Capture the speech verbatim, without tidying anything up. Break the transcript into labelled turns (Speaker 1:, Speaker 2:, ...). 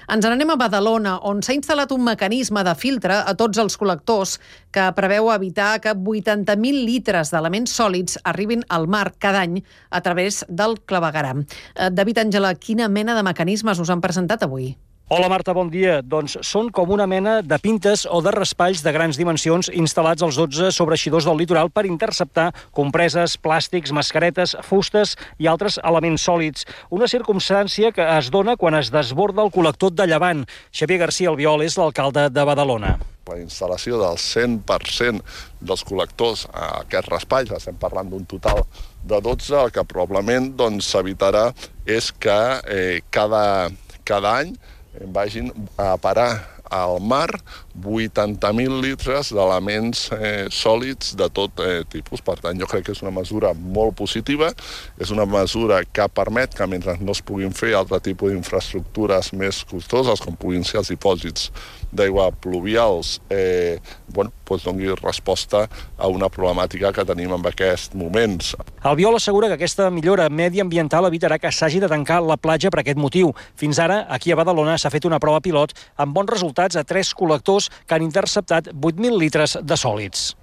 Speaker 1: Ens n'anem a Badalona, on s'ha instal·lat un mecanisme de filtre a tots els col·lectors que preveu evitar que vuitanta mil litres d'elements sòlids arribin al mar cada any a través del clavegueram. David Àngela, quina mena de mecanismes us han presentat avui?
Speaker 2: Hola Marta, bon dia. Doncs són com una mena de pintes o de raspalls de grans dimensions instal·lats als dotze sobreeixidors del litoral per interceptar compreses, plàstics, mascaretes, fustes i altres elements sòlids. Una circumstància que es dona quan es desborda el col·lector de Llevant. Xavier García Albiol és l'alcalde de Badalona.
Speaker 3: La instal·lació del cent per cent dels col·lectors a aquests raspalls, estem parlant d'un total de dotze, el que probablement s'evitarà és que eh, cada, cada any vagin a parar al mar vuitanta mil litres d'elements eh, sòlids de tot eh, tipus. Per tant, jo crec que és una mesura molt positiva, és una mesura que permet que mentre no es puguin fer altre tipus d'infraestructures més costoses, com puguin ser els dipòsits d'aigua pluvials, eh, bueno, doncs doni resposta a una problemàtica que tenim en aquests moments.
Speaker 2: Albiol assegura que aquesta millora mediambiental evitarà que s'hagi de tancar la platja per aquest motiu. Fins ara, aquí a Badalona s'ha fet una prova pilot amb bons resultats a tres col·lectors que han interceptat vuit mil litres de sòlids.